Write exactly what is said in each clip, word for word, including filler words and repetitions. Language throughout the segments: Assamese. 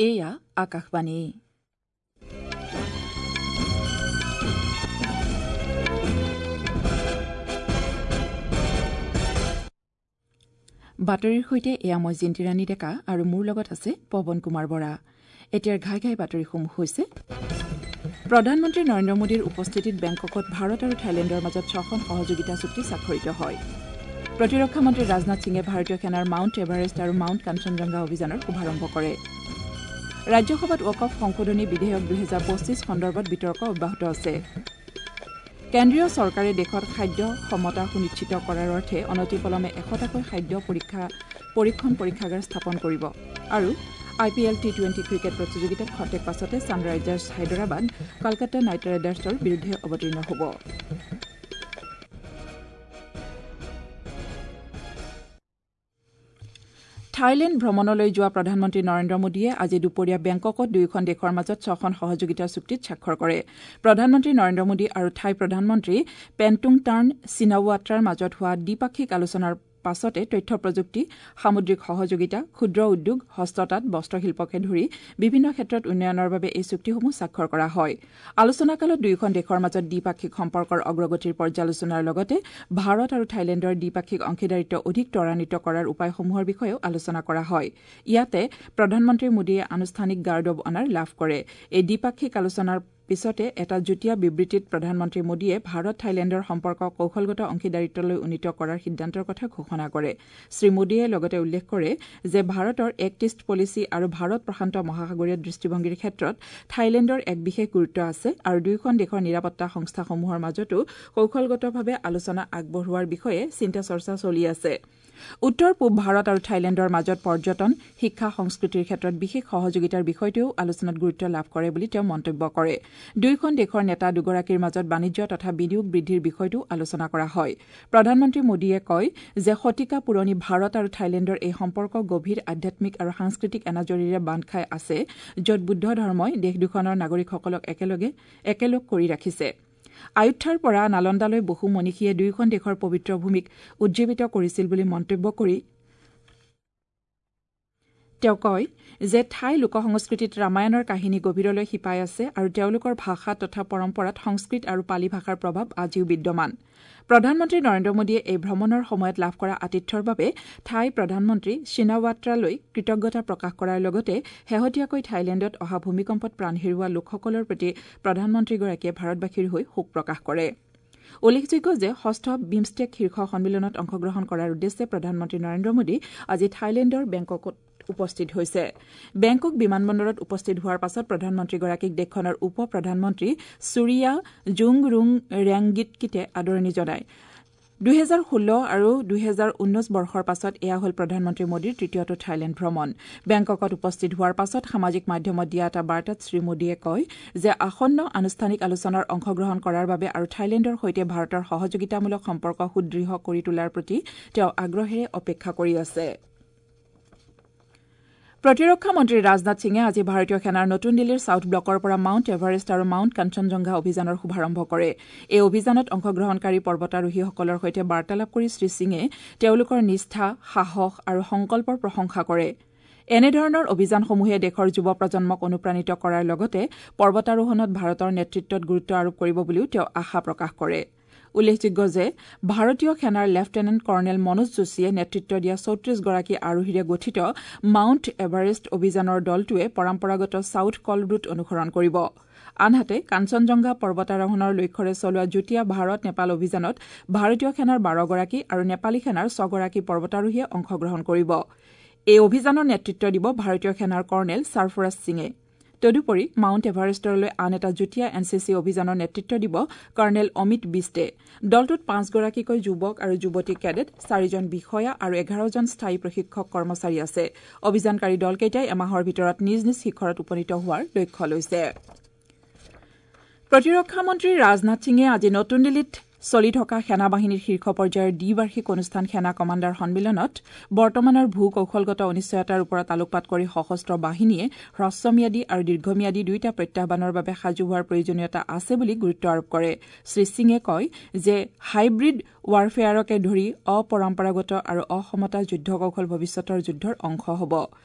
এয়া আকাশবাণী। বাতৰিৰ সৈতে এয়া মই জিন্তিৰাণী ডেকা আৰু মোৰ লগত আছে পৱন কুমাৰ বৰা। এতিয়াৰ ঘাই ঘাই বাতৰিসমূহ হৈছে: প্ৰধানমন্ত্ৰী নৰেন্দ্ৰ মোদীৰ উপস্থিতিত বেংককত ভাৰত আৰু থাইলেণ্ডৰ মাজত ছখন সহযোগিতা চুক্তি স্বাক্ষৰিত হয়। প্ৰতিৰক্ষা মন্ত্ৰী ৰাজনাথ সিঙে ভাৰতীয় সেনাৰ মাউণ্ট এভাৰেষ্ট আৰু মাউণ্ট কাঞ্চনজংঘা অভিযানৰ শুভাৰম্ভ কৰে। ৰাজ্যসভাত ৱাকফ সংশোধনী বিধেয়ক দুহেজাৰ পঁচিছ সন্দৰ্ভত বিতৰ্ক অব্যাহত আছে। কেন্দ্ৰীয় চৰকাৰে দেশত খাদ্য সমতা সুনিশ্চিত কৰাৰ অৰ্থে অনতিপলমে এশটাকৈ খাদ্য পৰীক্ষা পৰীক্ষণ পৰীক্ষাগাৰ স্থাপন কৰিব। আৰু I P L T twenty cricket প্ৰতিযোগিতাত খন্তেক পাছতে ছানৰাইজাৰ্ছ হায়দৰাবাদ কলকাতা নাইট ৰাইডাৰ্ছৰ বিৰুদ্ধে অৱতীৰ্ণ হ'ব। থাইলেণ্ড ভ্ৰমণলৈ যোৱা প্ৰধানমন্ত্ৰী নৰেন্দ্ৰ মোদীয়ে আজি দুপৰীয়া বেংককত দুয়োখন দেশৰ মাজত ছখন সহযোগিতাৰ চুক্তিত স্বাক্ষৰ কৰে। প্ৰধানমন্ত্ৰী নৰেন্দ্ৰ মোদী আৰু থাই প্ৰধানমন্ত্ৰী পেণ্টুংটাৰ্ণ চিনাৱাট্ৰাৰ মাজত হোৱা দ্বিপাক্ষিক আলোচনাৰ পাছতে তথ্য প্ৰযুক্তি, সামুদ্ৰিক সহযোগিতা, ক্ষুদ্ৰ উদ্যোগ, হস্ততাঁত, বস্ত্ৰশিল্পকে ধৰি বিভিন্ন ক্ষেত্ৰত উন্নয়নৰ বাবে এই চুক্তিসমূহ স্বাক্ষৰ কৰা হয়। আলোচনাকালত দুয়োখন দেশৰ মাজত দ্বিপাক্ষিক সম্পৰ্কৰ অগ্ৰগতিৰ পৰ্যালোচনাৰ লগতে ভাৰত আৰু থাইলেণ্ডৰ দ্বিপাক্ষিক অংশীদাৰিত্ব অধিক ত্বৰান্বিত কৰাৰ উপায়সমূহৰ বিষয়েও আলোচনা কৰা হয়। ইয়াতে প্ৰধানমন্ত্ৰী মোদীয়ে আনুষ্ঠানিক গাৰ্ড অৱ অনাৰ লাভ কৰে। এই দ্বিপাক্ষিক আলোচনাৰ পিছতে এটা যুটীয়া বিবৃতিত প্ৰধানমন্ত্ৰী মোদীয়ে ভাৰত থাইলেণ্ডৰ সম্পৰ্ক কৌশলগত অংশীদাৰিত্বলৈ উন্নীত কৰাৰ সিদ্ধান্তৰ কথা ঘোষণা কৰে। শ্ৰী মোদীয়ে লগতে উল্লেখ কৰে যে ভাৰতৰ এক্ট ইষ্ট পলিচি আৰু ভাৰত প্ৰশান্ত মহাসাগৰীয় দৃষ্টিভংগীৰ ক্ষেত্ৰত থাইলেণ্ডৰ এক বিশেষ গুৰুত্ব আছে আৰু দুয়োখন দেশৰ নিৰাপত্তা সংস্থাসমূহৰ মাজতো কৌশলগতভাৱে আলোচনা আগবঢ়োৱাৰ বিষয়ে চিন্তা চৰ্চা চলি আছে। উত্তৰ পূব ভাৰত আৰু থাইলেণ্ডৰ মাজত পৰ্যটন, শিক্ষা, সংস্কৃতিৰ ক্ষেত্ৰত বিশেষ সহযোগিতাৰ বিষয়টোৱেও আলোচনাত গুৰুত্ব লাভ কৰে বুলি তেওঁ মন্তব্য কৰে। দুয়োখন দেশৰ নেতা দুগৰাকীৰ মাজত বাণিজ্য তথা বিনিয়োগ বৃদ্ধিৰ বিষয়টোও আলোচনা কৰা হয়। প্ৰধানমন্ত্ৰী মোদীয়ে কয় যে শতিকা পুৰণি ভাৰত আৰু থাইলেণ্ডৰ এই সম্পৰ্ক গভীৰ আধ্যাত্মিক আৰু সাংস্কৃতিক এনাজৰীৰে বান্ধ খাই আছে, য'ত বুদ্ধ ধৰ্মই দেশ দুখনৰ নাগৰিকসকলক একেলগে একেলগ কৰি ৰাখিছে। আয়ুধ্যাৰ পৰা নালন্দালৈ বহু মনীষীয়ে দুয়োখন দেশৰ পবিত্ৰ ভূমিক উজ্জীৱিত কৰিছিল বুলি মন্তব্য কৰি তেওঁ কয় যে থাই লোক সংস্কৃতিত ৰামায়ণৰ কাহিনী গভীৰলৈ শিপাই আছে আৰু তেওঁলোকৰ ভাষা তথা পৰম্পৰাত সংস্কৃত আৰু পালি ভাষাৰ প্ৰভাৱ আজিও বিদ্যমান। প্ৰধানমন্ত্ৰী নৰেন্দ্ৰ মোদীয়ে এই ভ্ৰমণৰ সময়ত লাভ কৰা আতিথ্যৰ বাবে থাই প্ৰধানমন্ত্ৰী চিনাৱাট্ৰালৈ কৃতজ্ঞতা প্ৰকাশ কৰাৰ লগতে শেহতীয়াকৈ থাইলেণ্ডত অহা ভূমিকম্পত প্ৰাণ হেৰুওৱা লোকসকলৰ প্ৰতি প্ৰধানমন্ত্ৰীগৰাকীয়ে ভাৰতবাসীৰ হৈ শোক প্ৰকাশ কৰে। উল্লেখযোগ্য যে ষষ্ঠ বিমষ্টেক শীৰ্ষ সন্মিলনত অংশগ্ৰহণ কৰাৰ উদ্দেশ্যে প্ৰধানমন্ত্ৰী নৰেন্দ্ৰ মোদী আজি থাইলেণ্ডৰ বেংককত উপস্থিত হৈছে। বেংকক বিমানবন্দৰত উপস্থিত হোৱাৰ পাছত প্ৰধানমন্ত্ৰীগৰাকীক দেশখনৰ উপ প্ৰধানমন্ত্ৰী সুৰিয়া জুংৰুং ৰেংগিটকিতে আদৰণি জনায়। দুহেজাৰ ষোল্ল আৰু দুহেজাৰ ঊনৈছ বৰ্ষৰ পাছত এয়া হ'ল প্ৰধানমন্ত্ৰী মোদীৰ তৃতীয়টো থাইলেণ্ড ভ্ৰমণ। বেংককত উপস্থিত হোৱাৰ পাছত সামাজিক মাধ্যমত দিয়া এটা বাৰ্তাত শ্ৰী মোদীয়ে কয় যে আসন্ন আনুষ্ঠানিক আলোচনাৰ অংশগ্ৰহণ কৰাৰ বাবে আৰু থাইলেণ্ডৰ সৈতে ভাৰতৰ সহযোগিতামূলক সম্পৰ্ক সুদৃঢ় কৰি তোলাৰ প্ৰতি তেওঁ আগ্ৰহেৰে অপেক্ষা কৰি আছে। প্ৰতিৰক্ষা মন্ত্ৰী ৰাজনাথ সিঙে আজি ভাৰতীয় সেনাৰ নতুন দিল্লীৰ ছাউথ ব্লকৰ পৰা মাউণ্ট এভাৰেষ্ট আৰু মাউণ্ট কাঞ্চনজংঘা অভিযানৰ শুভাৰম্ভ কৰে। এই অভিযানত অংশগ্ৰহণকাৰী পৰ্বতাৰোহীসকলৰ সৈতে বাৰ্তালাপ কৰি শ্ৰী সিঙে তেওঁলোকৰ নিষ্ঠা, সাহস আৰু সংকল্পৰ প্ৰশংসা কৰে। এনেধৰণৰ অভিযানসমূহে দেশৰ যুৱ প্ৰজন্মক অনুপ্ৰাণিত কৰাৰ লগতে পৰ্বতাৰোহণত ভাৰতৰ নেতৃত্বত গুৰুত্ব আৰোপ কৰিব বুলিও তেওঁ আশা প্ৰকাশ কৰে। উল্লেখযোগ্য যে ভাৰতীয় সেনাৰ লেফটেনেণ্ট কৰ্ণেল মনোজ যোশীয়ে নেতৃত্ব দিয়া চৌত্ৰিশগৰাকী আৰোহীৰে গঠিত মাউণ্ট এভাৰেষ্ট অভিযানৰ দলটোৱে পৰম্পৰাগত ছাউথ কল ৰুট অনুসৰণ কৰিব। আনহাতে কাঞ্চনজংঘা পৰ্বতাৰোহণৰ লক্ষ্যৰে চলোৱা যুটীয়া ভাৰত নেপাল অভিযানত ভাৰতীয় সেনাৰ বাৰগৰাকী আৰু নেপালী সেনাৰ ছগৰাকী পৰ্বতাৰোহীয়ে অংশগ্ৰহণ কৰিব। এই অভিযানৰ নেতৃত্ব দিব ভাৰতীয় সেনাৰ কৰ্ণেল ছাৰফৰাজ সিঙে। তদুপৰি মাউণ্ট এভাৰেষ্টলৈ আন এটা যুটীয়া এন চি চি অভিযানৰ নেতৃত্ব দিব কৰ্ণেল অমিত বিষ্টে। দলটোত পাঁচগৰাকীকৈ যুৱক আৰু যুৱতী কেডেট, চাৰিজন বিষয়া আৰু এঘাৰজন স্থায়ী প্ৰশিক্ষক কৰ্মচাৰী আছে। অভিযানকাৰী দলকেইটাই এমাহৰ ভিতৰত নিজ নিজ শিখৰত উপনীত হোৱাৰ লক্ষ্য লৈছে। প্ৰতিৰক্ষা মন্ত্ৰী ৰাজনাথ সিঙে আজি নতুন দিল্লীত চলি থকা সেনা বাহিনীৰ শীৰ্ষ পৰ্যায়ৰ দ্বিবাৰ্ষিক অনুষ্ঠান সেনা কমাণ্ডাৰ সন্মিলনত বৰ্তমানৰ ভূ কৌশলগত অনিশ্চয়তাৰ ওপৰত আলোকপাত কৰি সশস্ত্ৰ বাহিনীয়ে হ্ৰস্বম্যাদী আৰু দীৰ্ঘম্যাদী দুয়োটা প্ৰত্যাহ্বানৰ বাবে সাজু হোৱাৰ প্ৰয়োজনীয়তা আছে বুলি গুৰুত্ব আৰোপ কৰে। শ্ৰী সিঙে কয় যে হাইব্ৰিড ৱাৰফেয়াৰকে ধৰি অপৰম্পৰাগত আৰু অসমতা যুদ্ধ কৌশল ভৱিষ্যতৰ যুদ্ধৰ অংশ হ'ব।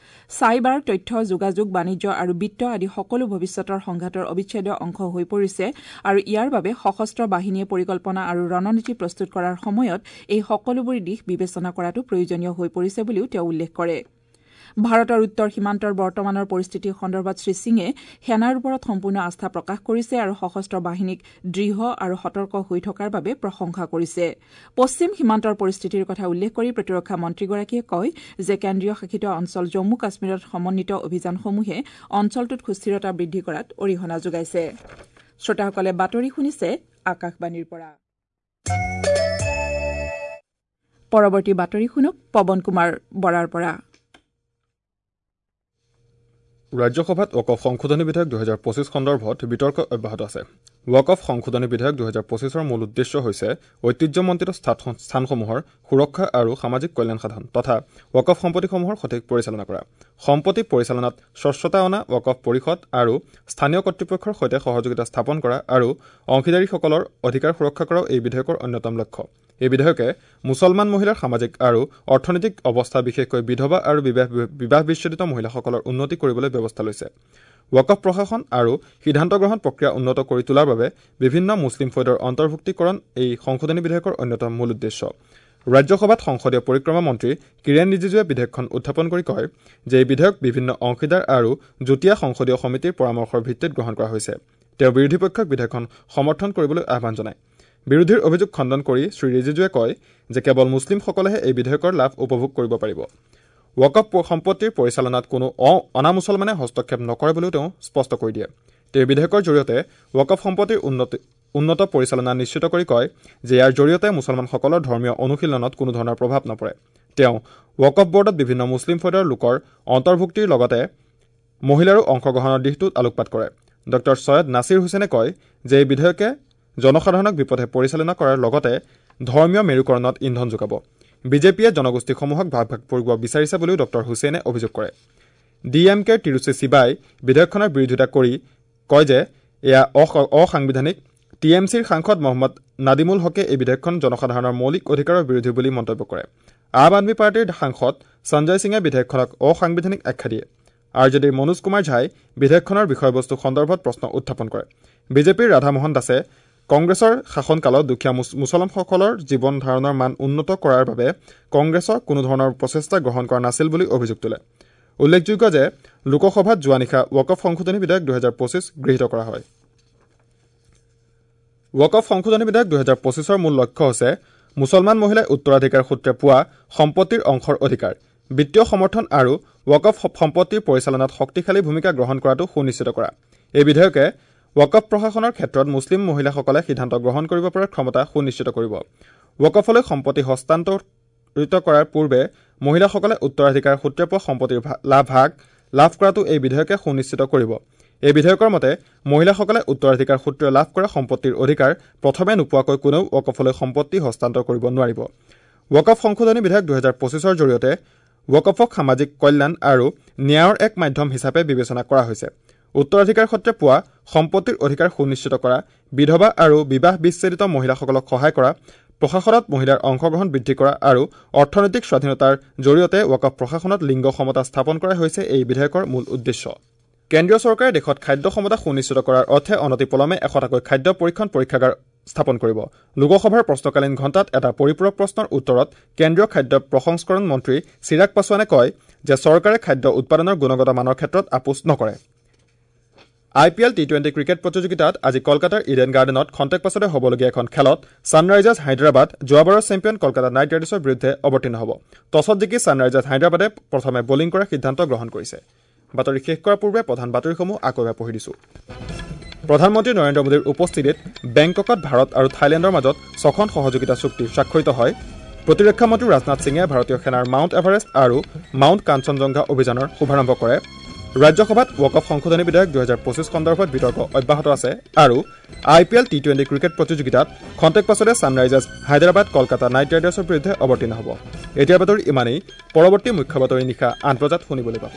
চাইবাৰ, তথ্য, যোগাযোগ, বাণিজ্য আৰু বিত্ত আদি সকলো ভৱিষ্যতৰ সংঘাতৰ অবিচ্ছেদ্য অংশ হৈ পৰিছে আৰু ইয়াৰ বাবে সশস্ত্ৰ বাহিনীয়ে পৰিকল্পনা আৰু ৰণনীতি প্ৰস্তুত কৰাৰ সময়ত এই সকলোবোৰ দিশ বিবেচনা কৰাটো প্ৰয়োজনীয় হৈ পৰিছে বুলিও তেওঁ উল্লেখ কৰে। ভাৰতৰ উত্তৰ সীমান্তৰ বৰ্তমানৰ পৰিস্থিতি সন্দৰ্ভত শ্ৰীসিঙে সেনাৰ ওপৰত সম্পূৰ্ণ আস্থা প্ৰকাশ কৰিছে আৰু সশস্ত্ৰ বাহিনীক দৃঢ় আৰু সতৰ্ক হৈ থকাৰ বাবে প্ৰশংসা কৰিছে। পশ্চিম সীমান্তৰ পৰিস্থিতিৰ কথা উল্লেখ কৰি প্ৰতিৰক্ষা মন্ত্ৰীগৰাকীয়ে কয় যে কেন্দ্ৰীয় শাসিত অঞ্চল জম্মু কাশ্মীৰত সমন্বিত অভিযানসমূহে অঞ্চলটোত সুস্থিৰতা বৃদ্ধি কৰাত অৰিহণা যোগাইছে। শ্ৰোতাসকলে বাতৰি শুনিছে আকাশবাণীৰ পৰা। পৰৱৰ্তী বাতৰি শুনক পৱন কুমাৰ বৰাৰ পৰা। ৰাজ্যসভাত ৱাকফ সংশোধনী বিধেয়ক দুহেজাৰ পঁচিছ সন্দৰ্ভত বিতৰ্ক অব্যাহত আছে। ৱাকফ সংশোধনী বিধেয়ক দুহেজাৰ পঁচিছৰ মূল উদ্দেশ্য হৈছে ঐতিহ্যমণ্ডিত স্থানসমূহৰ সুৰক্ষা আৰু সামাজিক কল্যাণ সাধন তথা ৱাকফ সম্পত্তিসমূহৰ সঠিক পৰিচালনা কৰা, সম্পত্তি পৰিচালনাত স্বচ্ছতা অনা, ৱাকফ পৰিষদ আৰু স্থানীয় কৰ্তৃপক্ষৰ সৈতে সহযোগিতা স্থাপন কৰা আৰু অংশীদাৰীসকলৰ অধিকাৰ সুৰক্ষা কৰাও এই বিধেয়কৰ অন্যতম লক্ষ্য। এই বিধেয়কে মুছলমান মহিলাৰ সামাজিক আৰু অৰ্থনৈতিক অৱস্থা, বিশেষকৈ বিধৱা আৰু বিবাহ বিচ্ছেদিত মহিলাসকলৰ উন্নতি কৰিবলৈ ব্যৱস্থা লৈছে। ৱাকফ প্ৰশাসন আৰু সিদ্ধান্ত গ্ৰহণ প্ৰক্ৰিয়া উন্নত কৰি তোলাৰ বাবে বিভিন্ন মুছলিম ফৈদৰ অন্তৰ্ভুক্তিকৰণ এই সংশোধনী বিধেয়কৰ অন্যতম মূল উদ্দেশ্য। ৰাজ্যসভাত সংসদীয় পৰিক্ৰমা মন্ত্ৰী কিৰেণ ৰিজিজুৱে বিধেয়কখন উত্থাপন কৰি কয় যে এই বিধেয়ক বিভিন্ন অংশীদাৰ আৰু যুটীয়া সংসদীয় সমিতিৰ পৰামৰ্শৰ ভিত্তিত গ্ৰহণ কৰা হৈছে। তেওঁ বিৰোধী পক্ষক বিধেয়কখন সমৰ্থন কৰিবলৈ আহ্বান জনায়। বিৰোধীৰ অভিযোগ খণ্ডন কৰি শ্ৰী ৰিজিজুৱে কয় যে কেৱল মুছলিমসকলেহে এই বিধেয়কৰ লাভ উপভোগ কৰিব পাৰিব। ৱাকফ সম্পত্তিৰ পৰিচালনাত কোনো অনা মুছলমানে হস্তক্ষেপ নকৰে বুলিও তেওঁ স্পষ্ট কৰি দিয়ে। তেওঁ বিধেয়কৰ জৰিয়তে ৱাকফ সম্পত্তিৰ উন্নতি উন্নত পৰিচালনা নিশ্চিত কৰি কয় যে ইয়াৰ জৰিয়তে মুছলমানসকলৰ ধৰ্মীয় অনুশীলনত কোনো ধৰণৰ প্ৰভাৱ নপৰে। তেওঁ ৱাকফ বৰ্ডত বিভিন্ন মুছলিম ফৈদৰ লোকৰ অন্তৰ্ভুক্তিৰ লগতে মহিলাৰো অংশগ্ৰহণৰ দিশটোত আলোকপাত কৰে। ডক্টৰ চৈয়দ নাছিৰ হুছেইনে কয় যে এই বিধেয়কে জনসাধাৰণক বিপথে পৰিচালনা কৰাৰ লগতে ধৰ্মীয় মেৰুকৰণত ইন্ধন যোগাব। বিজেপিয়ে জনগোষ্ঠীসমূহক ভাগ ভাগ কৰিব বিচাৰিছে বুলিও ডক্টৰ হুছেইনে অভিযোগ কৰে। ডি এম কেৰ তিৰুচি শিৱাই বিধেয়কখনৰ বিৰোধিতা কৰি কয় যে এয়া অসাংবিধানিক। টি এম চিৰ সাংসদ মহম্মদ নাদিমুল হকে এই বিধেয়কখন জনসাধাৰণৰ মৌলিক অধিকাৰৰ বিৰোধী বুলি মন্তব্য কৰে। আম আদমী পাৰ্টীৰ সাংসদ সঞ্জয় সিঙে বিধেয়কখনক অসাংবিধানিক আখ্যা দিয়ে। আৰ জে ডিৰ মনোজ কুমাৰ ঝাই বিধেয়কখনৰ বিষয়বস্তু সন্দৰ্ভত প্ৰশ্ন উত্থাপন কৰে। বিজেপিৰ ৰাধামোহন দাসে কংগ্ৰেছৰ শাসনকালত দুখীয়া মুছলমানসকলৰ জীৱন ধাৰণৰ মান উন্নত কৰাৰ বাবে কংগ্ৰেছৰ কোনো ধৰণৰ প্ৰচেষ্টা গ্ৰহণ কৰা নাছিল বুলি অভিযোগ তোলে। উল্লেখযোগ্য যে লোকসভাত যোৱা নিশা ৱাকফ সংশোধনী বিধেয়ক দুহেজাৰ পঁচিছ গৃহীত কৰা হয়। ৱাকফ সংশোধনী বিধেয়ক দুহেজাৰ পঁচিছৰ মূল লক্ষ্য হৈছে মুছলমান মহিলাই উত্তৰাধিকাৰ সূত্ৰে পোৱা সম্পত্তিৰ অংশৰ অধিকাৰ, বিত্তীয় সমৰ্থন আৰু ৱাকফ সম্পত্তিৰ পৰিচালনাত শক্তিশালী ভূমিকা গ্ৰহণ কৰাটো সুনিশ্চিত কৰা। এই বিধেয়কে ৱাকফ প্ৰশাসনৰ ক্ষেত্ৰত মুছলিম মহিলাসকলে সিদ্ধান্ত গ্ৰহণ কৰিব পৰাৰ ক্ষমতা সুনিশ্চিত কৰিব। ৱাকফলৈ সম্পত্তি হস্তান্তৰিত কৰাৰ পূৰ্বে মহিলাসকলে উত্তৰাধিকাৰ সূত্ৰে পোৱা সম্পত্তিৰ লাভ ভাগ লাভ কৰাটো এই বিধেয়কে সুনিশ্চিত কৰিব। এই বিধেয়কৰ মতে মহিলাসকলে উত্তৰাধিকাৰ সূত্ৰে লাভ কৰা সম্পত্তিৰ অধিকাৰ প্ৰথমে নোপোৱাকৈ কোনেও ৱাকফলৈ সম্পত্তি হস্তান্তৰ কৰিব নোৱাৰিব। ৱাকফ সংশোধনী বিধেয়ক দুহেজাৰ পঁচিছৰ জৰিয়তে ৱাকফক সামাজিক কল্যাণ আৰু ন্যায়ৰ এক মাধ্যম হিচাপে বিবেচনা কৰা হৈছে। উত্তৰাধিকাৰ সূত্ৰে পোৱা সম্পত্তিৰ অধিকাৰ সুনিশ্চিত কৰা, বিধৱা আৰু বিবাহ বিচ্ছেদিত মহিলাসকলক সহায় কৰা, প্ৰশাসনত মহিলাৰ অংশগ্ৰহণ বৃদ্ধি কৰা আৰু অৰ্থনৈতিক স্বাধীনতাৰ জৰিয়তে ৱাকফ প্ৰশাসনত লিংগ সমতা স্থাপন কৰাই হৈছে এই বিধেয়কৰ মূল উদ্দেশ্য। কেন্দ্ৰীয় চৰকাৰে দেশত খাদ্য সমতা সুনিশ্চিত কৰাৰ অৰ্থে অনতিপলমে এশটাকৈ খাদ্য পৰীক্ষণ পৰীক্ষাগাৰ স্থাপন কৰিব। লোকসভাৰ প্ৰশ্নকালীন ঘণ্টাত এটা পৰিপূৰক প্ৰশ্নৰ উত্তৰত কেন্দ্ৰীয় খাদ্য প্ৰসংস্কৰণ মন্ত্ৰী চিৰাগ পাছোৱানে কয় যে চৰকাৰে খাদ্য উৎপাদনৰ গুণগত মানৰ ক্ষেত্ৰত আপোচ নকৰে। I P L T twenty cricket প্ৰতিযোগিতাত আজি কলকাতাৰ ইডেন গাৰ্ডেনত খন্তেক পাছতে হ'বলগীয়া এখন খেলত ছানৰাইজাৰ্ছ হায়দৰাবাদ যোৱাবাৰৰ চেম্পিয়ন কলকাতা নাইট ৰাইডাৰ্ছৰ বিৰুদ্ধে অৱতীৰ্ণ হ'ব। টছত জিকি ছানৰাইজাৰ্ছ হায়দৰাবাদে প্ৰথমে বলিং কৰাৰ সিদ্ধান্ত গ্ৰহণ কৰিছে। বাতৰি শেষ কৰাৰ পূৰ্বে প্ৰধান বাতৰিসমূহ আকৌ এবাৰ পঢ়ি দিছোঁ। প্ৰধানমন্ত্ৰী নৰেন্দ্ৰ মোদীৰ উপস্থিতিত বেংককত ভাৰত আৰু থাইলেণ্ডৰ মাজত ছখন সহযোগিতা চুক্তি স্বাক্ষৰিত হয়। প্ৰতিৰক্ষা মন্ত্ৰী ৰাজনাথ সিঙে ভাৰতীয় সেনাৰ মাউণ্ট এভাৰেষ্ট আৰু মাউণ্ট কাঞ্চনজংঘা অভিযানৰ শুভাৰম্ভ কৰে। ৰাজ্যসভাত ৱাকফ সংশোধনী বিধেয়ক দুহেজাৰ পঁচিছ সন্দৰ্ভত বিতৰ্ক অব্যাহত আছে আৰু I P L T twenty cricket প্ৰতিযোগিতাত খন্তেক পাছতে ছানৰাইজাৰ্ছ হায়দৰাবাদ কলকাতা নাইট ৰাইডাৰ্ছৰ বিৰুদ্ধে অৱতীৰ্ণ হ'ব। এতিয়াৰ বাতৰি ইমানেই। পৰৱৰ্তী মুখ্য বাতৰি নিশা আঠ বজাত শুনিবলৈ পাব।